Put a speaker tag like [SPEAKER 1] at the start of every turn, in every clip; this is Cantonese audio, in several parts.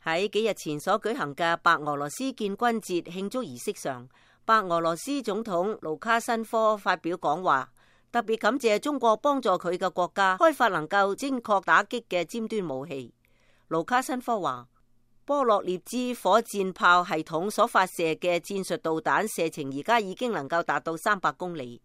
[SPEAKER 1] 喺幾日前所舉行嘅白俄羅斯建軍節慶祝儀式上，白俄羅斯總統盧卡申科發表講話，特別感謝中國幫助佢嘅國家開發能夠精確打擊嘅尖端武器。盧卡申科話，波洛涅茲火箭炮系統所發射嘅戰術導彈射程而家已經能夠達到300公里。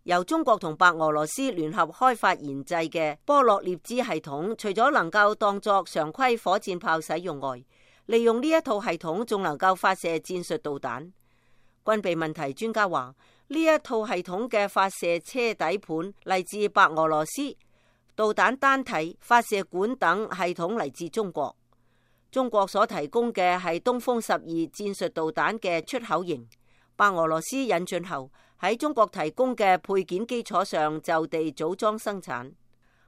[SPEAKER 1] 由中國同白俄羅斯聯合開發研製嘅波洛涅茲系統，除咗能夠當作常規火箭炮使用外，利用呢一套系統仲能夠發射戰術導彈。軍備問題專家話，呢一套系統嘅發射車底盤嚟自白俄羅斯，導彈單體、發射管等系統嚟自中國。中國所提供嘅係東風12戰術導彈嘅出口型，白俄羅斯引進後喺中國提供嘅配件基礎上就地組裝生產。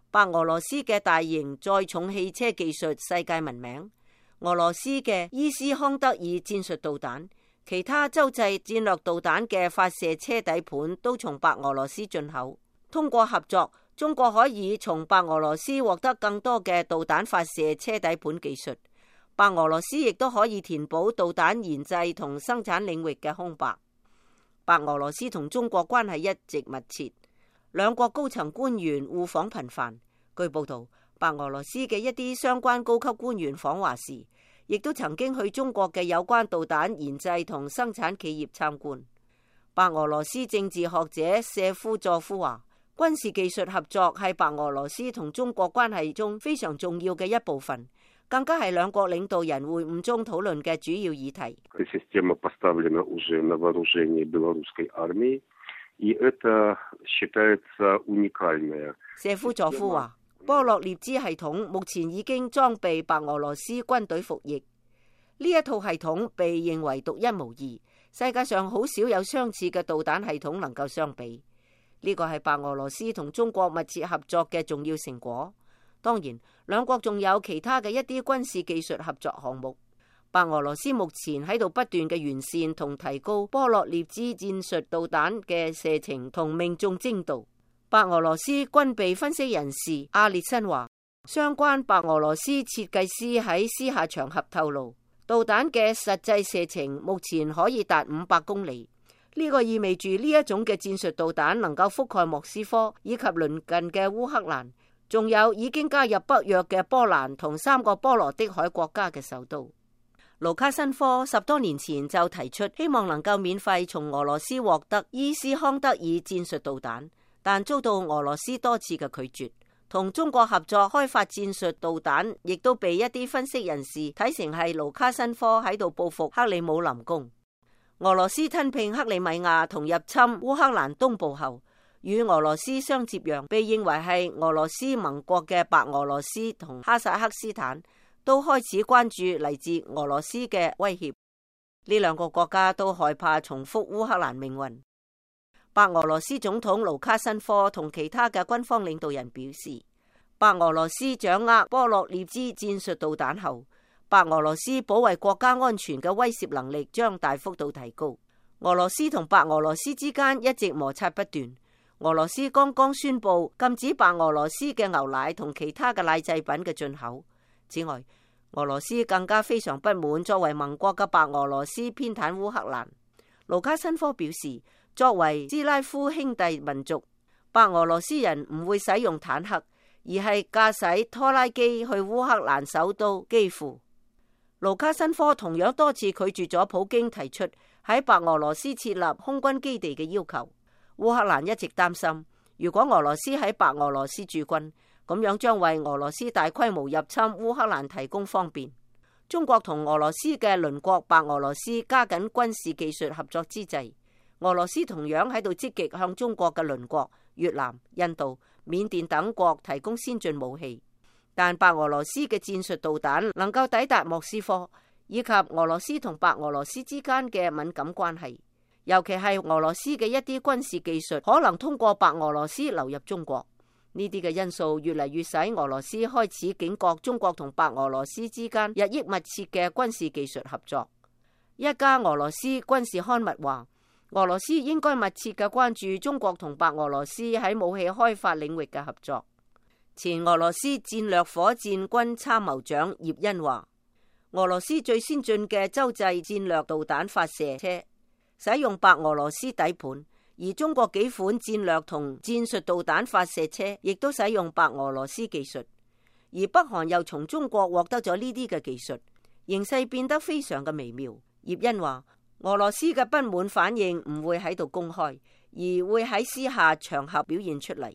[SPEAKER 1] 白俄羅斯嘅大型載重汽車技術世界聞名，俄羅斯嘅伊斯康德爾戰術導彈、其他洲際戰略導彈嘅發射車底盤都從白俄羅斯進口。通過合作，中國可以從白俄羅斯獲得更多嘅導彈發射車底盤技術，白俄羅斯亦都可以填補導彈研製同生產領域嘅空白。白俄羅斯同中國關係一直密切，兩國高層官員互訪頻繁。據報道，白俄羅斯嘅一啲相關高級官員訪華時，亦都曾經去中國嘅有關導彈研製同生產企業參觀。白俄羅斯政治學者謝夫佐夫話，軍事技術合作係白俄羅斯同中國關係中非常重要嘅一部分，更加係兩國領導人會晤中討論嘅主要議題。謝夫佐夫話，波洛涅茲系統目前已經裝備白俄羅斯軍隊服役，呢一套系統被認為獨一無二，世界上好少有相似嘅導彈系統能夠相比。呢個係白俄羅斯同中國密切合作嘅重要成果。當然，兩國仲有其他嘅一啲軍事技術合作項目。白俄羅斯目前喺度不斷嘅完善同提高波洛涅茲戰術導彈嘅射程同命中精度。白俄羅斯軍備分析人士阿列申話，相關白俄羅斯設計師喺私下場合透露，導彈嘅實際射程目前可以達500公里。呢個意味住呢一種嘅戰術導彈能夠覆蓋莫斯科以及鄰近嘅烏克蘭，仲有已經加入北約嘅波蘭同3個波羅的海國家嘅首都。盧卡申科10多年前就提出希望能夠免費從俄羅斯獲得伊斯康德爾戰術導彈，但遭到俄羅斯多次嘅拒絕。同中國合作開發戰術導彈，亦都被一啲分析人士睇成係盧卡申科喺度報復克里姆林宮。俄羅斯吞併克里米亞同入侵烏克蘭東部後，與俄羅斯相接壤，被認為係俄羅斯盟國嘅白俄羅斯同哈薩克斯坦都開始關注嚟自俄羅斯嘅威脅。呢兩個國家都害怕重複烏克蘭命運。白俄羅斯總統盧卡申科同其他嘅軍方領導人表示，白俄羅斯掌握波洛涅茲戰術導彈後，白俄羅斯保衛國家安全嘅威懾能力將大幅度提高。俄羅斯同白俄羅斯之間一直摩擦不斷。俄羅斯剛剛宣布禁止白俄羅斯嘅牛奶同其他嘅奶製品嘅進口。此外，俄羅斯更加非常不滿作為盟國嘅白俄羅斯偏袒烏克蘭。盧卡申科表示，作為斯拉夫兄弟民族，白俄羅斯人唔會使用坦克，而係駕駛拖拉機去烏克蘭首都基輔。盧卡申科同樣多次拒絕咗普京提出喺白俄羅斯設立空軍基地嘅要求。烏克蘭一直擔心，如果俄羅斯喺白俄羅斯駐軍，咁樣將為俄羅斯大規模入侵烏克蘭提供方便。中國同俄羅斯嘅鄰國白俄羅斯加緊軍事技術合作之際，俄羅斯同樣喺度積極向中國嘅鄰國越南、印度、緬甸等國提供先進武器。但白俄羅斯嘅戰術導彈能夠抵達莫斯科，以及俄羅斯同白俄羅斯之間嘅敏感關係，尤其係俄羅斯嘅一啲軍事技術可能通過白俄羅斯流入中國。呢啲嘅因素越嚟越使俄羅斯開始警覺中國同白俄羅斯之間日益密切嘅軍事技術合作。一家俄羅斯軍事刊物話，俄羅斯應該密切嘅關注中國同白俄羅斯喺武器開發領域嘅合作。前俄羅斯戰略火箭軍參謀長葉恩話，俄羅斯最先進嘅洲際戰略導彈發射車，使用白俄羅斯底盤，而中國幾款戰略同戰術導彈發射車亦都使用白俄羅斯技術，而北韓又從中國獲得咗呢啲嘅技術，形勢變得非常嘅微妙。葉欣話，俄羅斯嘅不滿反應唔會喺度公開，而會喺私下場合表現出嚟。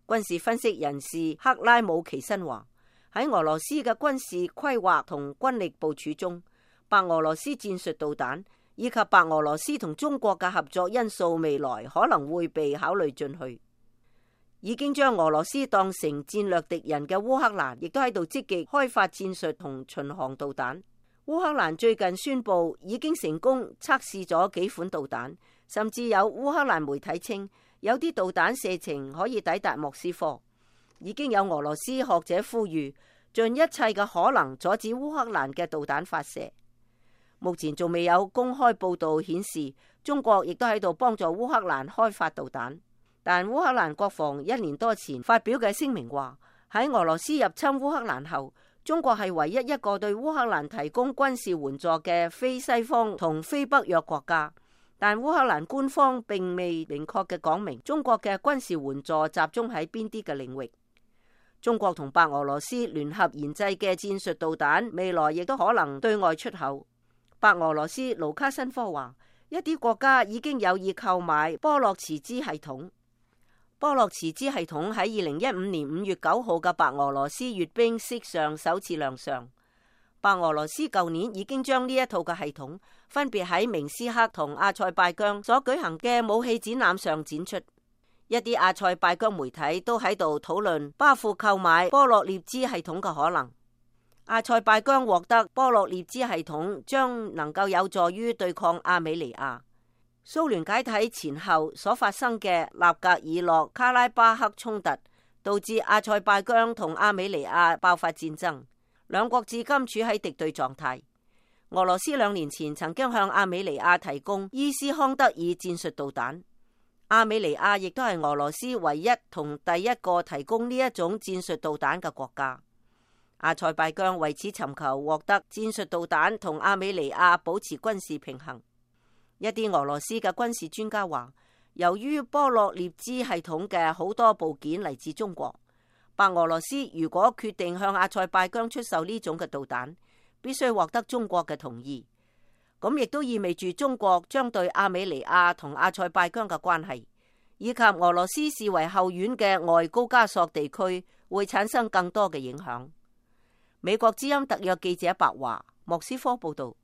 [SPEAKER 1] 軍事分析人士克拉姆奇申話，喺俄羅斯嘅軍事規劃同軍力部署中，白俄羅斯戰術導彈以及白俄羅斯同中國嘅合作因素未來可能會被考慮進去。已經將俄羅斯當成戰略敵人嘅烏克蘭，亦都喺度積極開發戰術同巡航導彈。烏克蘭最近宣布已經成功測試咗幾款導彈，甚至有烏克蘭媒體稱有啲導彈射程可以抵達莫斯科。已經有俄羅斯學者呼籲盡一切嘅可能阻止烏克蘭嘅導彈發射。目前仲未有公開報道顯示中國亦都喺度幫助烏克蘭開發導彈，但烏克蘭國防1年多前發表嘅聲明話，喺俄羅斯入侵烏克蘭後，中國係唯一一個對烏克蘭提供軍事援助嘅非西方同非北約國家。但烏克蘭官方並未明確嘅講明中國嘅軍事援助集中喺邊啲嘅領域。中國同白俄羅斯聯合研製嘅戰術導彈未來亦都可能對外出口。白俄羅斯盧卡申科話，一啲國家已經有意購買波洛茨茲系統。波洛茨茲系統喺2015年5月9號嘅白俄羅斯閱兵式上首次亮相。白俄羅斯舊年已經將呢一套嘅系統分別喺明斯克同阿塞拜疆所舉行嘅武器展覽上展出。一啲阿塞拜疆媒體都喺度討論巴庫購買波洛涅茲系統嘅可能。阿塞拜疆獲得波洛涅茲系統將能夠有助於對抗亞美尼亞。蘇聯解體前後所發生嘅納格爾諾卡拉巴克衝突，導致阿塞拜疆同亞美尼亞爆發戰爭，兩國至今處喺敵對狀態。俄羅斯2年前曾經向亞美尼亞提供伊斯康德爾戰術導彈，亞美尼亞亦都係俄羅斯唯一同第一個提供呢一種戰術導彈嘅國家。阿塞拜疆為此尋求獲得戰術導彈同亞美尼亞保持軍事平衡。一啲俄羅斯嘅軍事專家話，由於波洛涅茲系統嘅好多部件嚟自中國，白俄羅斯如果決定向阿塞拜疆出售呢種嘅導彈，必須獲得中國嘅同意。咁亦都意味住中國將對亞美尼亞同阿塞拜疆嘅關係，以及俄羅斯視為後院嘅外高加索地區會產生更多嘅影響。美國之音特約記者白華，莫斯科報道。